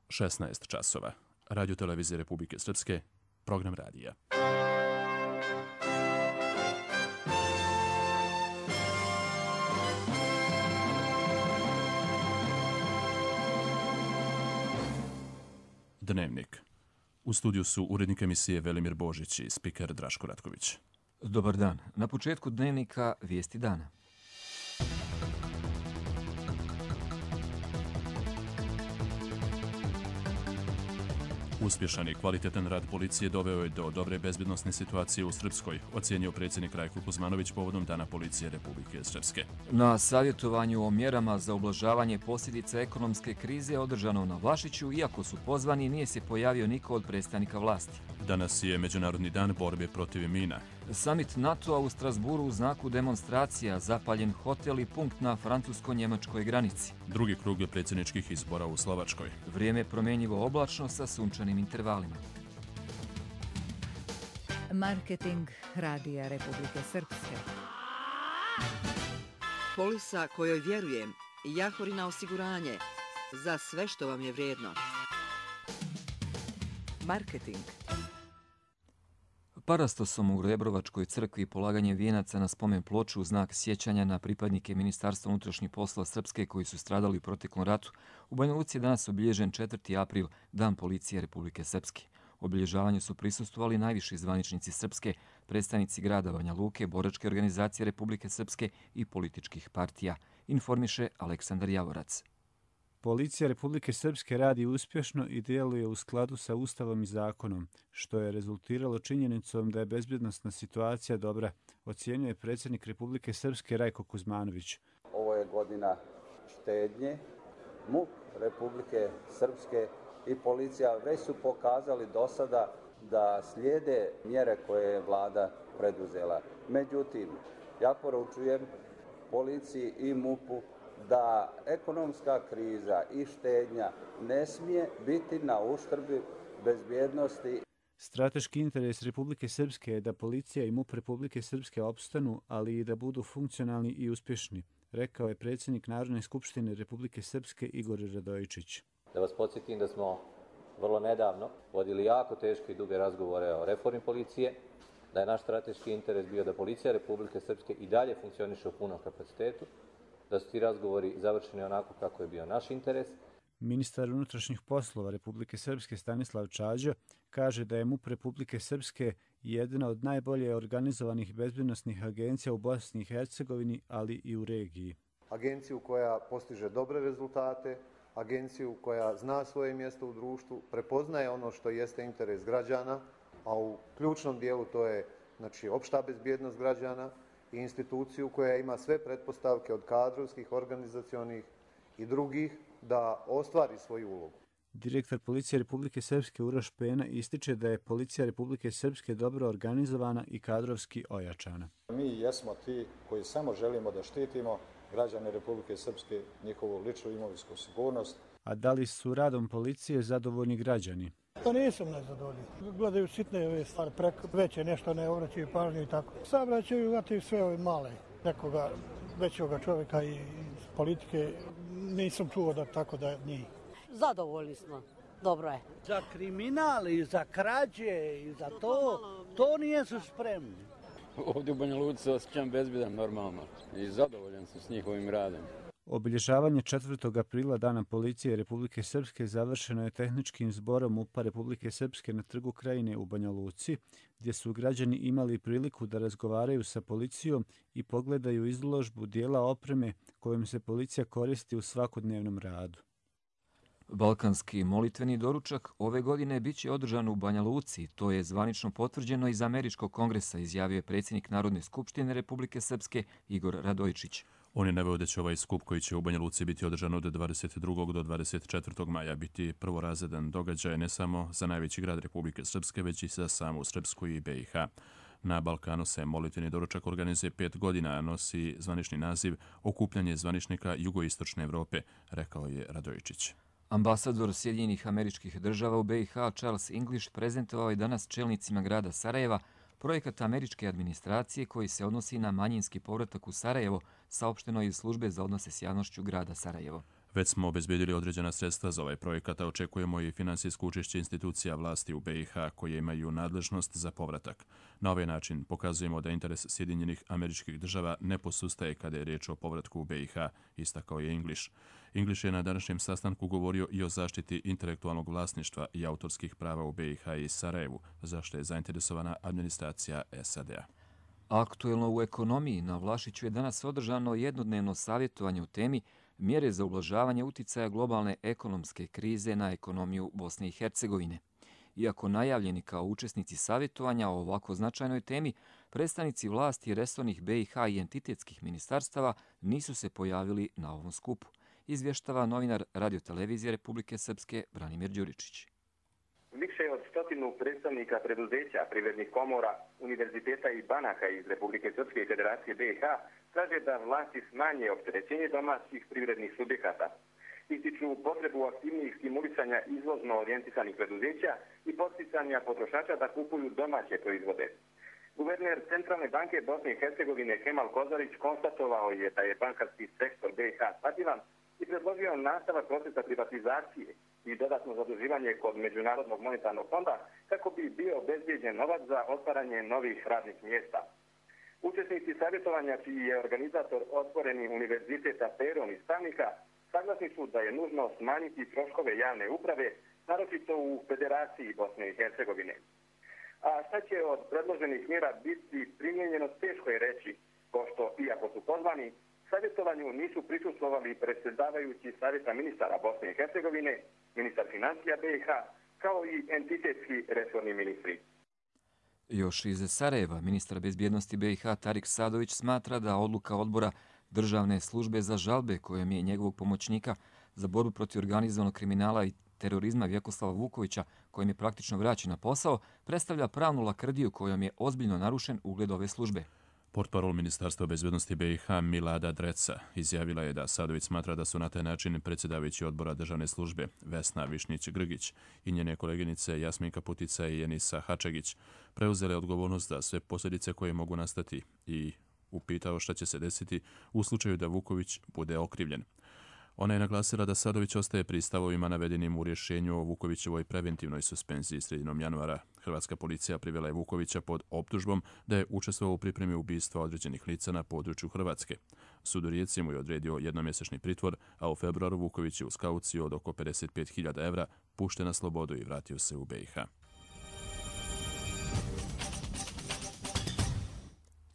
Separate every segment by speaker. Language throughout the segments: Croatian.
Speaker 1: 16 časova. Radio Televizije Republike Srpske, program radija. Dnevnik. U studiju su urednik emisije Velimir Božić i spiker Draško Ratković.
Speaker 2: Dobar dan. Na početku dnevnika vijesti dana.
Speaker 1: Uspješan i kvalitetan rad policije doveo je do dobre bezbjednosne situacije u Srpskoj, ocijenio predsjednik Rajko Kuzmanović povodom Dana policije Republike Srpske.
Speaker 2: Na savjetovanju o mjerama za ublažavanje posljedica ekonomske krize održano na Vlašiću, iako su pozvani, nije se pojavio niko od predstavnika vlasti.
Speaker 1: Danas je Međunarodni dan borbe protiv mina.
Speaker 2: Samit NATO-a u Strasburu u znaku demonstracija, zapaljen hotel i punkt na francusko-njemačkoj granici.
Speaker 1: Drugi krug predsjedničkih izbora u Slovačkoj.
Speaker 2: Vrijeme promjenjivo oblačno sa sunčanim intervalima.
Speaker 3: Marketing Radija Republike Srpske.
Speaker 4: Polisa kojoj vjerujem, Jahorina osiguranje, za sve što vam je vrijedno. Marketing.
Speaker 2: Parastosom u Rebrovačkoj crkvi polaganje vijenaca na spomen ploču u znak sjećanja na pripadnike Ministarstva unutrašnjih poslova Srpske koji su stradali u proteklom ratu, u Banja Luci je danas obilježen 4. april, Dan policije Republike Srpske. Obilježavanju su prisustvovali najviši zvaničnici Srpske, predstavnici grada Banja Luke, boračke organizacije Republike Srpske i političkih partija, informiše Aleksandar Javorac.
Speaker 5: Policija Republike Srpske radi uspješno i djeluje u skladu sa Ustavom i zakonom, što je rezultiralo činjenicom da je bezbjednosna situacija dobra, ocjenjuje predsjednik Republike Srpske Rajko Kuzmanović.
Speaker 6: Ovo je godina štednje. MUP Republike Srpske i policija već su pokazali do sada da slijede mjere koje je vlada preduzela. Međutim, ja poručujem policiji i MUP-u da ekonomska kriza i štednja ne smije biti na uštrb bezbjednosti.
Speaker 5: Strateški interes Republike Srpske je da policija i MUP Republike Srpske opstanu, ali i da budu funkcionalni i uspješni, rekao je predsjednik Narodne skupštine Republike Srpske Igor Radojičić.
Speaker 7: Da vas podsjetim da smo vrlo nedavno vodili jako teške i duge razgovore o reformi policije, da je naš strateški interes bio da policija Republike Srpske i dalje funkcioniše u punom kapacitetu, da su ti razgovori završeni onako kako je bio naš interes.
Speaker 5: Ministar unutrašnjih poslova Republike Srpske Stanislav Čađa kaže da je MUP Republike Srpske jedna od najbolje organizovanih bezbjednosnih agencija u Bosni i Hercegovini, ali i u regiji.
Speaker 8: Agenciju koja postiže dobre rezultate, agenciju koja zna svoje mjesto u društvu, prepoznaje ono što jeste interes građana, a u ključnom dijelu to je opšta bezbjednost građana, i instituciju koja ima sve pretpostavke od kadrovskih, organizacionih i drugih da ostvari svoju ulogu.
Speaker 5: Direktor Policije Republike Srpske Uroš Pena ističe da je Policija Republike Srpske dobro organizovana i kadrovski ojačana.
Speaker 9: Mi jesmo ti koji samo želimo da štitimo građane Republike Srpske, njihovu ličnu imovinsku sigurnost.
Speaker 5: A da li su radom policije zadovoljni građani?
Speaker 10: To nisam nezadovoljni. Gledaju sitne ove stvari, veće nešto ne obraćaju pažnju i tako. Sad vraćaju gledaju sve ove male, nekoga većoga čovjeka i politike. Nisam čuo da tako da njih.
Speaker 11: Zadovoljni smo. Dobro je.
Speaker 12: Za kriminal i za krađe i za to nisu spremni.
Speaker 13: Ovdje u Banja Luci se osjećam bezbjedan normalno i zadovoljan sam s njihovim radom.
Speaker 5: Obilježavanje 4. aprila Dana policije Republike Srpske završeno je tehničkim zborom MUP-a Republike Srpske na Trgu Krajine u Banja Luci, gdje su građani imali priliku da razgovaraju sa policijom i pogledaju izložbu dijela opreme kojom se policija koristi u svakodnevnom radu.
Speaker 2: Balkanski molitveni doručak ove godine biće održan u Banja Luci. To je zvanično potvrđeno iz Američkog kongresa, izjavio je predsjednik Narodne skupštine Republike Srpske Igor Radojičić.
Speaker 1: On je naveo da će ovaj skup koji će u Banja Luci biti održan od 22. do 24. maja biti prvorazredan događaj ne samo za najveći grad Republike Srpske, već i za samu Srpsku i BiH. Na Balkanu se molitveni doručak organizuje 5 godina, a nosi zvanični naziv Okupljanje zvaničnika Jugoistočne Evrope, rekao je Radojičić.
Speaker 2: Ambasador Sjedinjenih Američkih Država u BiH Charles English prezentovao je danas čelnicima grada Sarajeva projekat američke administracije koji se odnosi na manjinski povratak u Sarajevo, saopšteno iz službe za odnose s javnošću grada Sarajevo.
Speaker 1: Već smo obezbedili određena sredstva za ovaj projekat, a očekujemo i finansijsko učešće institucija vlasti u BiH koje imaju nadležnost za povratak. Na ovaj način pokazujemo da interes Sjedinjenih Američkih Država ne posustaje kada je riječ o povratku u BiH, istakao je English. English je na današnjem sastanku govorio i o zaštiti intelektualnog vlasništva i autorskih prava u BiH i Sarajevu, za što je zainteresovana administracija SAD-a.
Speaker 2: Aktuelno u ekonomiji na Vlašiću je danas održano jednodnevno savjetovanje o temi mjere za ublažavanje uticaja globalne ekonomske krize na ekonomiju Bosne i Hercegovine. Iako najavljeni kao učesnici savjetovanja o ovako značajnoj temi, predstavnici vlasti resornih BiH i entitetskih ministarstava nisu se pojavili na ovom skupu, izvještava novinar Radiotelevizije Republike Srpske Branimir Đuričić.
Speaker 14: Više od 100 predstavnika preduzeća, privrednih komora, univerziteta i banaka iz Republike Srpske i Federacije BiH traže da vlasti smanje opterećenje domaćih privrednih subjekata. Ističu potrebu aktivnijih stimulisanja izvozno orijentisanih preduzeća i podsticanja potrošača da kupuju domaće proizvode. Guverner Centralne banke Bosne i Hercegovine Kemal Kozarić konstatovao je da je bankarski sektor BiH stabilan i predložio nastavak procesa privatizacije i dodatno zaduživanje kod Međunarodnog monetarnog fonda kako bi bio obezbijeđen novac za otvaranje novih radnih mjesta. Učesnici savjetovanja, čiji je organizator Otvoreni univerzitet Aperon iz Stavnika, saglasni su da je nužno smanjiti troškove javne uprave, naročito u Federaciji Bosne i Hercegovine. A šta će od predloženih mjera biti primijenjeno, teško je reći, pošto, iako su pozvani, savjetovanju nisu prisustvovali predsjedavajući Savjeta ministara Bosne i Hercegovine, ministar financija BiH, kao i entitetski resorni ministri.
Speaker 2: Još iz Sarajeva, ministar bezbjednosti BiH Tarik Sadović smatra da odluka odbora Državne službe za žalbe kojom je njegovog pomoćnika za borbu protiv organizovanog kriminala i terorizma Vjekoslava Vukovića, kojim je praktično vraćen na posao, predstavlja pravnu lakrdiju kojom je ozbiljno narušen ugled ove službe.
Speaker 1: Portparol Ministarstva bezbjednosti BiH Milada Dreca izjavila je da Sadović smatra da su na taj način predsjedavajući odbora državne službe Vesna Višnjić-Grgić i njene koleginice Jasminka Putica i Enisa Hačegić preuzele odgovornost za sve posljedice koje mogu nastati i upitao šta će se desiti u slučaju da Vuković bude okrivljen. Ona je naglasila da Sadović ostaje pri stavovima navedenim u rješenju o Vukovićevoj preventivnoj suspenziji sredinom januara. Hrvatska policija privela je Vukovića pod optužbom da je učestvovao u pripremi ubistva određenih lica na području Hrvatske. Sud u Rijeci mu je odredio jednomjesečni pritvor, a u februaru Vuković je uz kauciju od oko 55.000 evra pušten na slobodu i vratio se u BiH.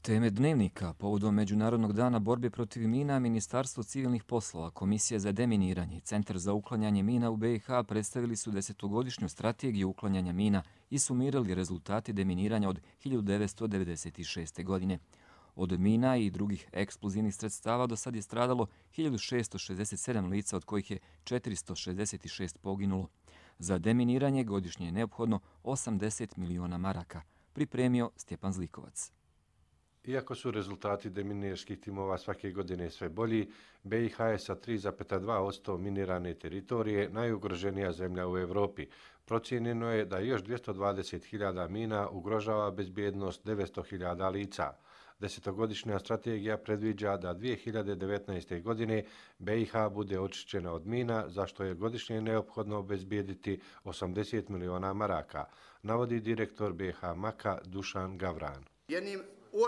Speaker 2: Teme dnevnika povodom Međunarodnog dana borbe protiv mina, Ministarstvo civilnih poslova, Komisija za deminiranje i Centar za uklanjanje mina u BiH predstavili su 10-godišnju strategiju uklanjanja mina i sumirali rezultati deminiranja od 1996. godine. Od mina i drugih eksplozivnih sredstava do sad je stradalo 1667 lica, od kojih je 466 poginulo. Za deminiranje godišnje je neophodno 80 miliona maraka, pripremio Stjepan Zlikovac.
Speaker 15: Iako su rezultati deminirskih timova svake godine sve bolji, BiH je sa 3,2% minirane teritorije najugroženija zemlja u Evropi. Procijenjeno je da još 220.000 mina ugrožava bezbjednost 900.000 lica. 10-godišnja strategija predviđa da 2019. godine BiH bude očišćena od mina, za što je godišnje neophodno obezbijediti 80 miliona maraka, navodi direktor BiH MAK-a Dušan Gavran.
Speaker 16: Jednim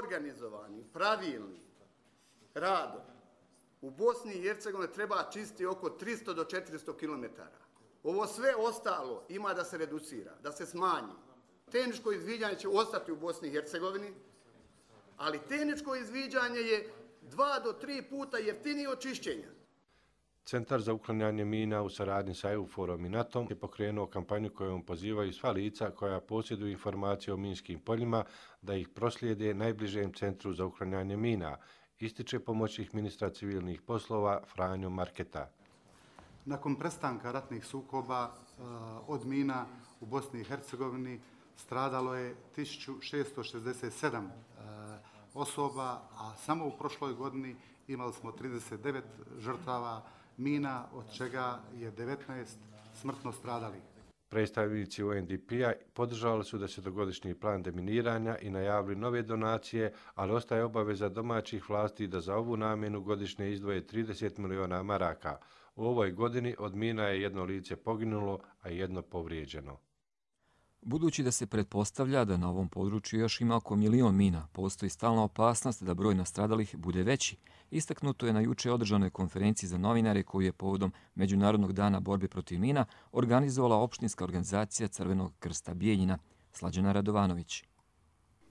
Speaker 16: organizovanim, pravilnim radom u Bosni i Hercegovini treba čistiti oko 300 do 400 km. Ovo sve ostalo ima da se reducira, da se smanji. Tehničko izviđanje će ostati u Bosni i Hercegovini, ali tehničko izviđanje je 2 do 3 puta jeftinije od čišćenja.
Speaker 15: Centar za uklanjanje mina u saradnji sa EUFOR-om i NATO-om je pokrenuo kampanju kojom pozivaju sva lica koja posjeduju informacije o minskim poljima da ih proslijede najbližem centru za uklanjanje mina, ističe pomoćnik ministra civilnih poslova Franjo Marketa.
Speaker 17: Nakon prestanka ratnih sukoba od mina u Bosni i Hercegovini stradalo je 1667 osoba, a samo u prošloj godini imali smo 39 žrtava mina, od čega je 19 smrtno stradalih.
Speaker 15: Predstavnici UNDP-a podržali su 10-godišnji plan deminiranja i najavili nove donacije, ali ostaje obaveza domaćih vlasti da za ovu namjenu godišnje izdvoje 30 miliona maraka. U ovoj godini od mina je jedno lice poginulo, a jedno povrijeđeno.
Speaker 2: Budući da se pretpostavlja da na ovom području još ima oko 1 milion mina, postoji stalna opasnost da broj nastradalih bude veći. Istaknuto je na juče održanoj konferenciji za novinare koju je povodom Međunarodnog dana borbe protiv mina organizovala opštinska organizacija Crvenog krsta Bijeljina. Slađana Radovanović.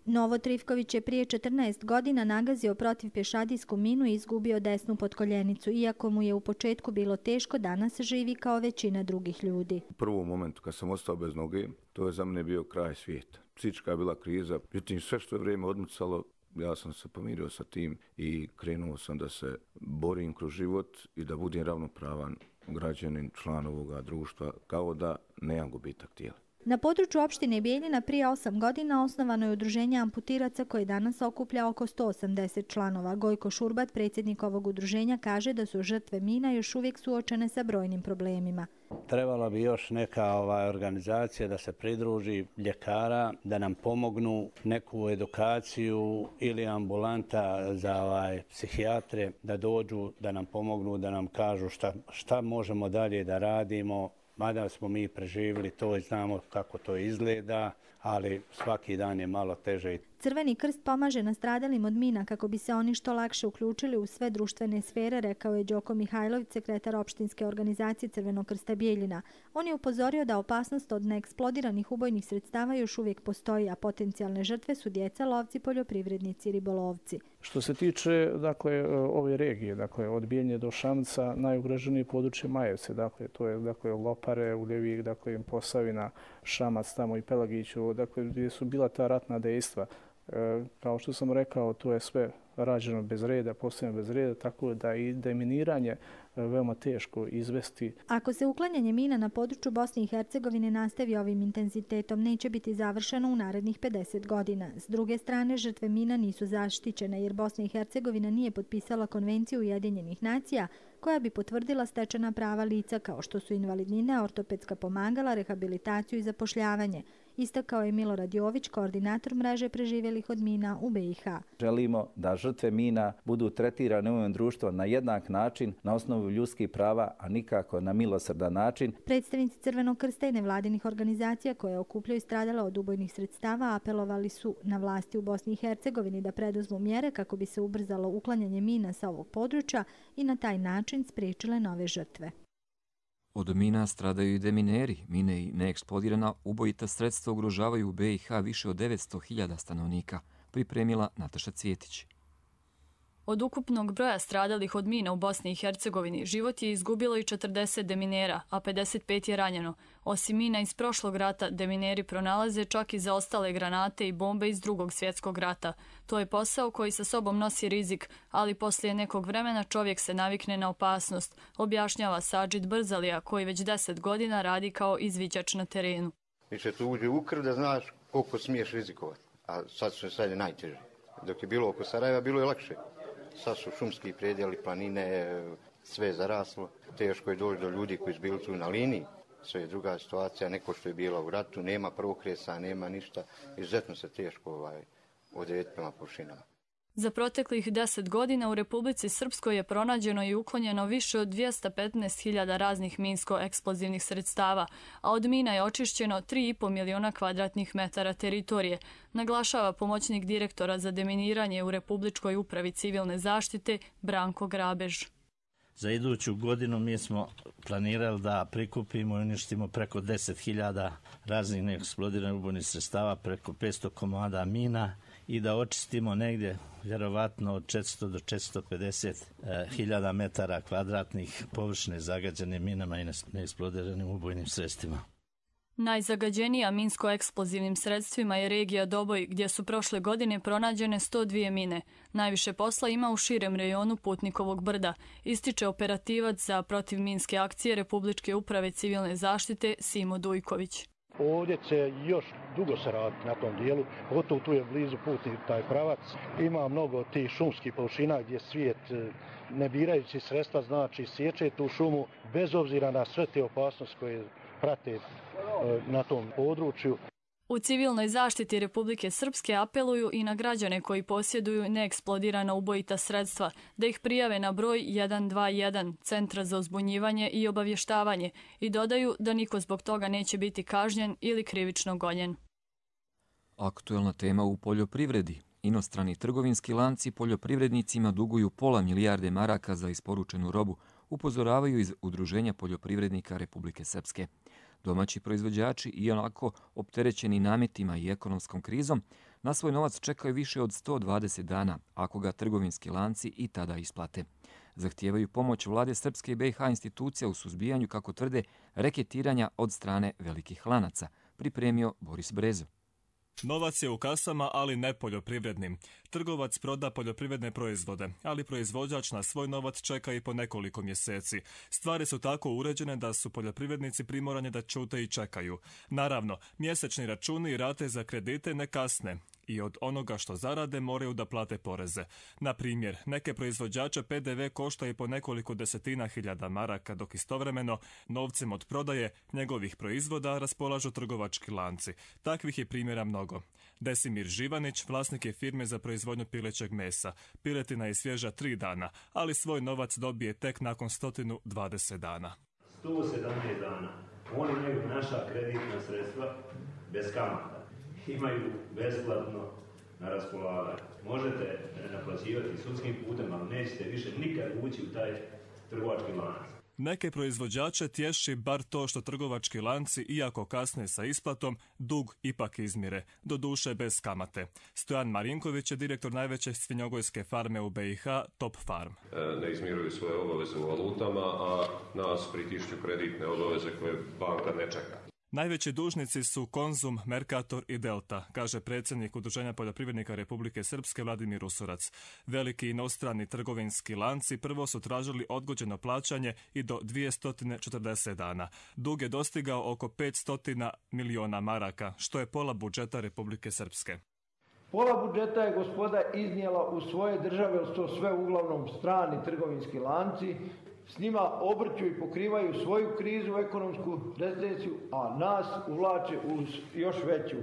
Speaker 18: Novo Trifković je prije 14 godina nagazio protiv pješadijsku minu i izgubio desnu potkoljenicu. Iako mu je u početku bilo teško, danas živi kao većina drugih ljudi.
Speaker 19: U prvom momentu kad sam ostao bez noge, to je za mene bio kraj svijeta. Psihička je bila kriza, međutim sve što je vrijeme odmicalo, ja sam se pomirio sa tim i krenuo sam da se borim kroz život i da budem ravnopravan građanin, član ovoga društva, kao da nemam gubitak tijela.
Speaker 18: Na području opštine Bijeljina prije 8 godina osnovano je udruženje amputiraca koje danas okuplja oko 180 članova. Gojko Šurbat, predsjednik ovog udruženja, kaže da su žrtve mina još uvijek suočene sa brojnim problemima.
Speaker 12: Trebala bi još neka organizacija da se pridruži ljekara, da nam pomognu neku edukaciju ili ambulanta za psihijatre, da dođu, da nam pomognu, da nam kažu šta možemo dalje da radimo. Mada smo mi preživjeli to i znamo kako to izgleda, ali svaki dan je malo teže.
Speaker 18: Crveni krst pomaže nastradalim od mina kako bi se oni što lakše uključili u sve društvene sfere, rekao je Đoko Mihajlović, sekretar opštinske organizacije Crvenog krsta Bijeljina. On je upozorio da opasnost od neeksplodiranih ubojnih sredstava još uvijek postoji, a potencijalne žrtve su djeca, lovci, poljoprivrednici i ribolovci.
Speaker 20: Što se tiče ove regije, od Bijeljine do Šamca, najugroženije područje Majevce, to je Lopare, Uljevik, Posavina, Šamac, tamo i Pelagiću, gdje su bila ta ratna dejstva. Kao što sam rekao, to je sve rađeno bez reda, postavljeno bez reda, tako da i deminiranje veoma teško izvesti.
Speaker 18: Ako se uklanjanje mina na području Bosne i Hercegovine nastavi ovim intenzitetom, neće biti završeno u narednih 50 godina. S druge strane, žrtve mina nisu zaštićene jer Bosna i Hercegovina nije potpisala Konvenciju Ujedinjenih nacija koja bi potvrdila stečena prava lica kao što su invalidnine, ortopedska pomagala, rehabilitaciju i zapošljavanje. Istakao je Milorad Jović, koordinator mreže preživjelih od mina u BiH.
Speaker 21: Želimo da žrtve mina budu tretirane u ovom društvu na jednak način, na osnovu ljudskih prava, a nikako na milosrdan način.
Speaker 18: Predstavnici Crvenog krsta i nevladinih organizacija koje okupljaju stradale od ubojnih sredstava apelovali su na vlasti u Bosni i Hercegovini da preduzmu mjere kako bi se ubrzalo uklanjanje mina sa ovog područja i na taj način spriječile nove žrtve.
Speaker 2: Od mina stradaju i demineri. Mine i neeksplodirana ubojita sredstva ugrožavaju u BiH više od 900.000 stanovnika, pripremila Nataša Cvjetić.
Speaker 22: Od ukupnog broja stradalih od mina u Bosni i Hercegovini život je izgubilo i 40 deminera, a 55 je ranjeno. Osim mina iz prošlog rata, demineri pronalaze čak i zaostale granate i bombe iz Drugog svjetskog rata. To je posao koji sa sobom nosi rizik, ali poslije nekog vremena čovjek se navikne na opasnost, objašnjava Sadžid Brzalija, koji već 10 godina radi kao izviđač na terenu.
Speaker 23: Više tu uđe u krv da znaš koliko smiješ rizikovati, a sad je najteže. Dok je bilo oko Sarajeva, bilo je lakše. Sad su šumski predjeli, planine, sve je zaraslo. Teško je doći do ljudi koji su bili tu na liniji. Sve je druga situacija, neko što je bila u ratu, nema prokresa, nema ništa. Izuzetno se teško odrediti prema površinama.
Speaker 22: Za proteklih 10 godina u Republici Srpskoj je pronađeno i uklonjeno više od 215.000 raznih minsko-eksplozivnih sredstava, a od mina je očišćeno 3,5 miliona kvadratnih metara teritorije, naglašava pomoćnik direktora za deminiranje u Republičkoj upravi civilne zaštite Branko Grabež.
Speaker 24: Za iduću godinu mi smo planirali da prikupimo i uništimo preko 10.000 raznih neeksplodiranih ubojnih sredstava, preko 500 komada mina i da očistimo negdje vjerovatno od 400 do 450.000 metara kvadratnih površine zagađene minama i neeksplodiranim ubojnim sredstvima.
Speaker 22: Najzagađenija minsko-eksplozivnim sredstvima je regija Doboj, gdje su prošle godine pronađene 102 mine. Najviše posla ima u širem rejonu Putnikovog brda, ističe operativac za protivminske akcije Republičke uprave civilne zaštite Simo Dujković.
Speaker 10: Ovdje će još dugo se raditi na tom dijelu, pogotovo tu je blizu putni taj pravac. Ima mnogo tih šumskih površina gdje svijet, ne birajući sredstva, znači sječe tu šumu bez obzira na sve te opasnosti koje prate
Speaker 3: na tom području.
Speaker 22: U civilnoj zaštiti Republike Srpske apeluju i na građane koji posjeduju neeksplodirana ubojita sredstva da ih prijave na broj 121 Centra za uzbunjivanje i obavještavanje i dodaju da niko zbog toga neće biti kažnjen ili krivično gonjen.
Speaker 2: Aktuelna tema u poljoprivredi. Inostrani trgovinski lanci poljoprivrednicima duguju pola milijarde maraka za isporučenu robu, upozoravaju iz Udruženja poljoprivrednika Republike Srpske. Domaći proizvođači, ionako opterećeni nametima i ekonomskom krizom, na svoj novac čekaju više od 120 dana, ako ga trgovinski lanci i tada isplate. Zahtijevaju pomoć vlade Srpske i BiH institucija u suzbijanju, kako tvrde, reketiranja od strane velikih lanaca, pripremio Boris Brezo.
Speaker 4: Novac je u kasama, ali ne poljoprivrednim. Trgovac proda poljoprivredne proizvode, ali proizvođač na svoj novac čeka i po nekoliko mjeseci. Stvari su tako uređene da su poljoprivrednici primorani da ćute i čekaju. Naravno, mjesečni računi i rate za kredite ne kasne i od onoga što zarade moraju da plate poreze. Na primjer, neke proizvođače PDV košta i po nekoliko desetina hiljada maraka, dok istovremeno novcem od prodaje njegovih proizvoda raspolažu trgovački lanci. Takvih je primjera mnogo. Desimir Živanić, vlasnik je firme za proizvodnju pilećeg mesa. Piletina je svježa 3 dana, ali svoj novac dobije tek nakon 120 dana.
Speaker 6: 117 dana. Oni imaju naša kreditna sredstva bez kamata. Imaju besplatno na raspolaganju. Možete naplaćivati sudskim putem, ali nećete više nikad ući u taj trgovački lanac.
Speaker 4: Neke proizvođače tješi bar to što trgovački lanci, iako kasne sa isplatom, dug ipak izmire, doduše bez kamate. Stojan Marinković je direktor najveće svinjogojske farme u BiH, Top Farm.
Speaker 7: Ne izmiruju svoje obaveze u valutama, a nas pritišću kreditne obaveze koje banka ne čeka.
Speaker 4: Najveći dužnici su Konzum, Mercator i Delta, kaže predsjednik Udruženja poljoprivrednika Republike Srpske Vladimir Usurac. Veliki inostrani trgovinski lanci prvo su tražili odgođeno plaćanje i do 240 dana. Dug je dostigao oko 500 miliona maraka, što je pola budžeta Republike Srpske.
Speaker 25: Pola budžeta je gospoda iznijela u svoje države, jer su to sve uglavnom strani trgovinski lanci. S njima obrću i pokrivaju svoju krizu, ekonomsku recesiju, a nas uvlače u još veću.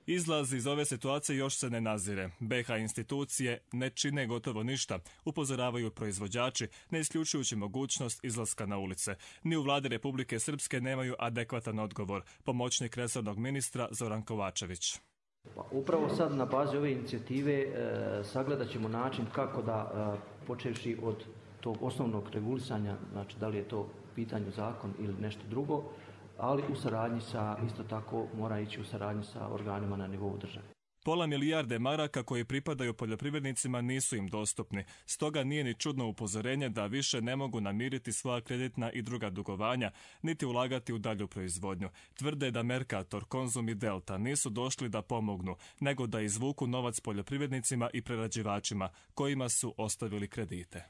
Speaker 4: Izlaz iz ove situacije još se ne nazire. BiH institucije ne čine gotovo ništa, upozoravaju proizvođači, ne isključujući mogućnost izlaska na ulice. Ni u vladi Republike Srpske nemaju adekvatan odgovor. Pomoćnik resornog ministra Zoran Kovačević.
Speaker 26: Upravo sad na bazi ove inicijative sagledat ćemo način kako da, počevši od tog osnovnog regulisanja, znači da li je to pitanju zakon ili nešto drugo, ali u saradnji sa, isto tako mora ići u saradnji sa organima na nivou države.
Speaker 4: Pola milijarde maraka koji pripadaju poljoprivrednicima nisu im dostupni, stoga nije ni čudno upozorenje da više ne mogu namiriti svoja kreditna i druga dugovanja, niti ulagati u dalju proizvodnju. Tvrde da Mercator, Konzum i Delta nisu došli da pomognu, nego da izvuku novac poljoprivrednicima i prerađivačima, kojima su ostavili kredite.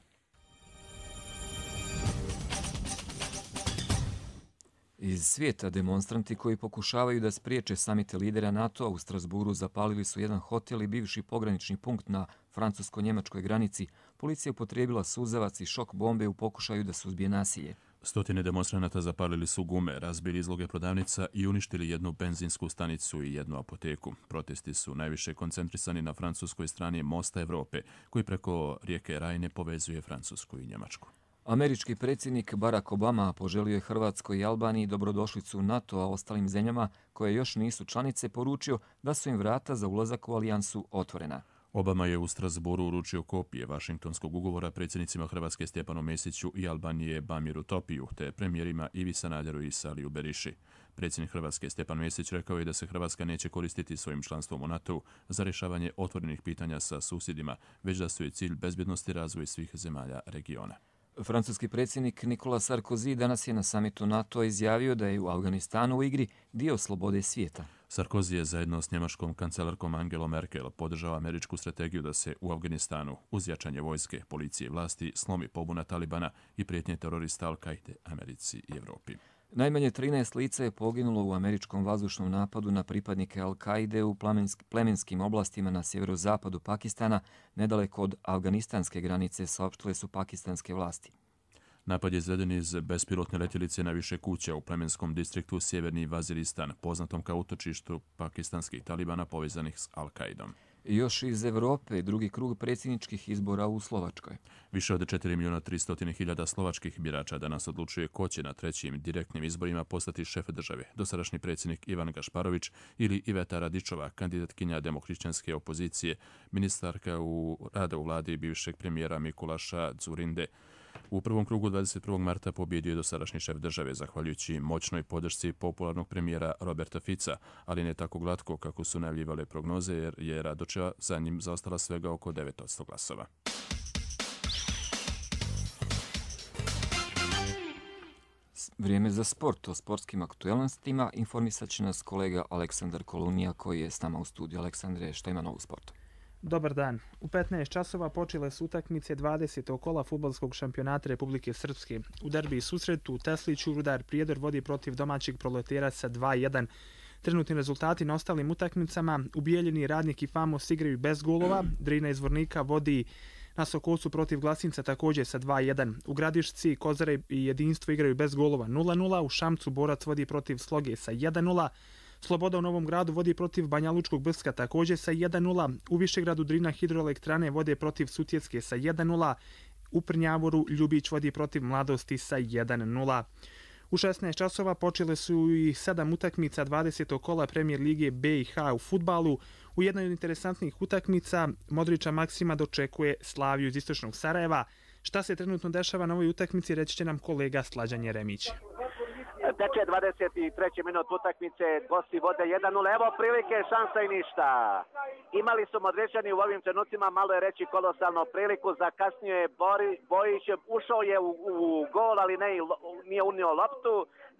Speaker 2: Iz svijeta demonstranti koji pokušavaju da spriječe samite lidera NATO-a u Strasburu zapalili su jedan hotel i bivši pogranični punkt na francusko-njemačkoj granici. Policija upotrijebila suzavac i šok bombe u pokušaju da suzbije nasilje.
Speaker 1: Stotine demonstranata zapalili su gume, razbili izloge prodavnica i uništili jednu benzinsku stanicu i jednu apoteku. Protesti su najviše koncentrisani na francuskoj strani mosta Evrope, koji preko rijeke Rajne povezuje Francusku i Njemačku.
Speaker 2: Američki predsjednik Barack Obama poželio je Hrvatskoj i Albaniji dobrodošlicu NATO, a ostalim zemljama koje još nisu članice poručio da su im vrata za ulazak u alijansu otvorena.
Speaker 1: Obama je u Strasburu uručio kopije Vašingtonskog ugovora predsjednicima Hrvatske Stjepanu Mesiću i Albanije Bamiru Topiju, te premijerima Ivi Sanaderu i Saliju Beriši. Predsjednik Hrvatske Stjepan Mesić rekao je da se Hrvatska neće koristiti svojim članstvom u NATO-u za rješavanje otvorenih pitanja sa susjedima, već da su je cilj bezbjednosti i razvoj svih zemalja regiona.
Speaker 2: Francuski predsjednik Nicolas Sarkozy danas je na samitu NATO izjavio da je u Afganistanu u igri dio slobode svijeta.
Speaker 1: Sarkozy je zajedno s njemačkom kancelarkom Angelom Merkel podržao američku strategiju da se u Afganistanu uz jačanje vojske, policije i vlasti slomi pobuna Talibana i prijetnje terorista Al-Kaide Americi i Evropi.
Speaker 2: Najmanje 13 lica je poginulo u američkom vazdušnom napadu na pripadnike Al-Kaide u plemenskim oblastima na sjeverozapadu Pakistana, nedaleko od afganistanske granice, saopštile su pakistanske vlasti.
Speaker 1: Napad je izveden iz bespilotne letjelice na više kuća u plemenskom distriktu Sjeverni Vaziristan, poznatom kao utočištu pakistanskih talibana povezanih s Al-Qaidom.
Speaker 2: Još iz Evrope, drugi krug predsjedničkih izbora u Slovačkoj.
Speaker 1: Više od 4.300.000 slovačkih birača danas odlučuje ko će na trećim direktnim izborima postati šef države. Dosadašnji predsjednik Ivan Gašparović ili Iveta Radičova, kandidatkinja demohrišćanske opozicije, ministarka rada u vladi bivšeg premijera Mikulaša Dzurinde. U prvom krugu 21. marta pobjedio je dosadašnji šef države, zahvaljujući moćnoj podršci popularnog premijera Roberta Fica, ali ne tako glatko kako su najavljivale prognoze, jer je Radočeva za njim zaostala svega oko 9% glasova.
Speaker 2: Vrijeme za sport. O sportskim aktualnostima informisat će nas kolega Aleksandar Kolunija koji je s nama u studiju. Aleksandre, šta ima novu sporta?
Speaker 5: Dobar dan. U 15 časova počele su utakmice 20. kola fudbalskog šampionata Republike Srpske. U derbi susretu u Tesliću Rudar Prijedor vodi protiv domaćeg Proletera sa 2:1. Trenutni rezultati na ostalim utakmicama: u Bijeljini Radnik i Famos igraju bez golova, Drina iz Vornika vodi na Sokolcu protiv Glasinca također sa 2:1. U Gradišci Kozare i Jedinstvo igraju bez golova 0:0, u Šamcu Borac vodi protiv Sloge sa 1:0. Sloboda u Novom Gradu vodi protiv Banja Lučkog Brska također sa 1:0. U Višegradu Drina Hidroelektrane vode protiv Sutjeske sa 1:0. U Prnjavoru Ljubić vodi protiv Mladosti sa 1:0. U 16 časova počele su i 7 utakmica 20. kola Premijer Lige BiH u fudbalu. U jednoj od interesantnih utakmica Modrića Maksima dočekuje Slaviju iz istočnog Sarajeva. Šta se trenutno dešava na ovoj utakmici reći će nam kolega Slađan Jeremić.
Speaker 8: Teče 23. minut utakmice, gosti vode 1:0, evo prilike, šansa i ništa. Imali su Modrićani u ovim trenucima, malo je reći kolosalno priliku, zakasnio je Bojić, ušao je u gol, ali nije unio loptu.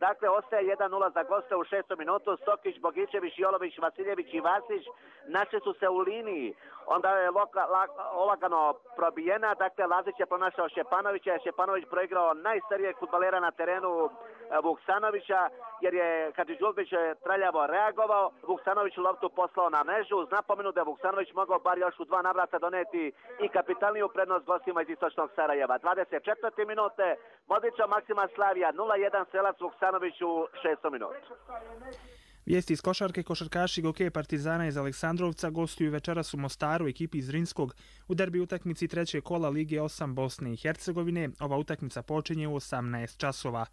Speaker 8: Dakle, ostaje 1:0 za goste u 6. minutu. Stokić, Bogićević, Jolović, Vasiljević i Vasić našli su se u liniji. Onda je olagano probijena. Dakle, Lazić je pronašao Šćepanovića. Šćepanović proigrao najstarijeg fudbalera na terenu Vuksanovića, jer je Hadžidžulbić traljavo reagovao. Vuksanović loptu poslao na mrežu. Uz napomenu da je Vuksanović mogao bar još u 2 navrata doneti i kapitalniju prednost gostima iz istočnog Sarajeva. 24. minute, Modrića Maksima Slavija 0:1, strelac Vuksanović u 6. minutu.
Speaker 5: Vijesti iz košarke. Košarkaši Gokeja Partizana iz Aleksandrovca gostuju večeras u Mostaru ekipi iz Zrinskog u derbi utakmici 3. kola Lige 8 Bosne i Hercegovine. Ova utakmica počinje u 18 časova.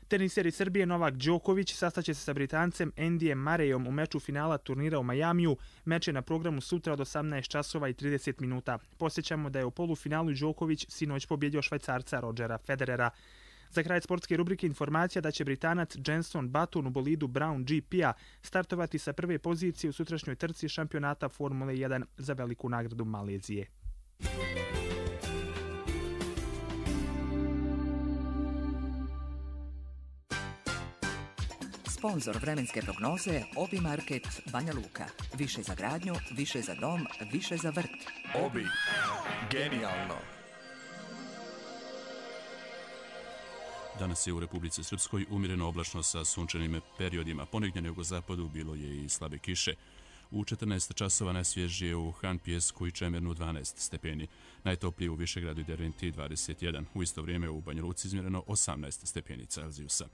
Speaker 5: Teniser iz Srbije Novak Đoković sastaće se sa Britancem Andyjem Murrayom u meču finala turnira u Majamiju. Meč je na programu sutra od 18 časova i 30 minuta. Posjećamo da je u polufinalu Đoković sinoć pobjedio Švajcarca Rodgera Federera. Za kraj sportske rubrike informacija da će Britanac Jenson Button u bolidu Brown GP-a startovati sa prve pozicije u sutrašnjoj trci šampionata Formule 1 za veliku nagradu Malezije.
Speaker 9: Sponzor vremenske prognoze Obi Market Banja Luka. Više za gradnju, više za dom, više za vrt.
Speaker 11: Obi. Genijalno.
Speaker 1: Danas je u Republici Srpskoj umjereno oblačno sa sunčanim periodima. Ponegdje na jugozapadu bilo je i slabe kiše. U 14 časova najsvježije u Han Pijesku i Čemernu 12 stepeni. Najtoplije u Višegradu i Derventi 21. U isto vrijeme u Banja Luci izmjereno 18 stepeni Celzijusa.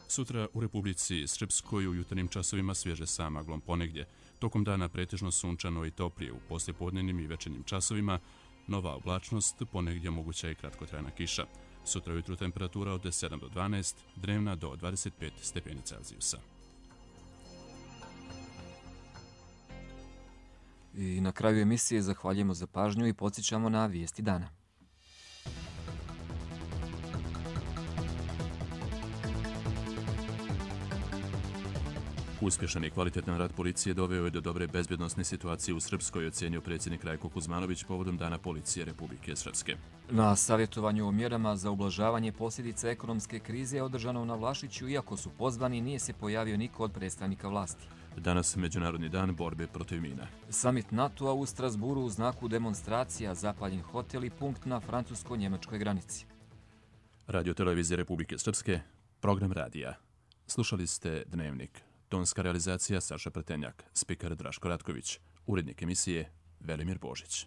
Speaker 1: Sutra u Republici Srpskoj u jutarnjim časovima svježe sa maglom ponegdje. Tokom dana pretežno sunčano i toplije. U poslijepodnevnim i večernjim časovima nova oblačnost, ponegdje moguća i kratkotrajna kiša. Sutra ujutru temperatura od 7 do 12, dnevna do 25 stepeni Celzijusa.
Speaker 2: I na kraju emisije zahvaljujemo za pažnju i podsjećamo na vijesti dana.
Speaker 1: Uspješan i kvalitetan rad policije doveo je do dobre bezbjednosne situacije u Srpskoj, ocjenio predsjednik Rajko Kuzmanović povodom Dana policije Republike Srpske.
Speaker 2: Na savjetovanju o mjerama za ublažavanje posljedica ekonomske krize održano na Vlašiću, iako su pozvani, nije se pojavio niko od predstavnika vlasti.
Speaker 1: Danas Međunarodni dan borbe protiv mina.
Speaker 2: Samit NATO-a u Strasburu u znaku demonstracija, zapaljen hotel i punkt na francusko-njemačkoj granici.
Speaker 1: Radio Televizije Republike Srpske, program radija. Slušali ste Dnevnik. Tonska realizacija Saša Pretenjak, spiker Draško Ratković, urednik emisije Velimir Božić.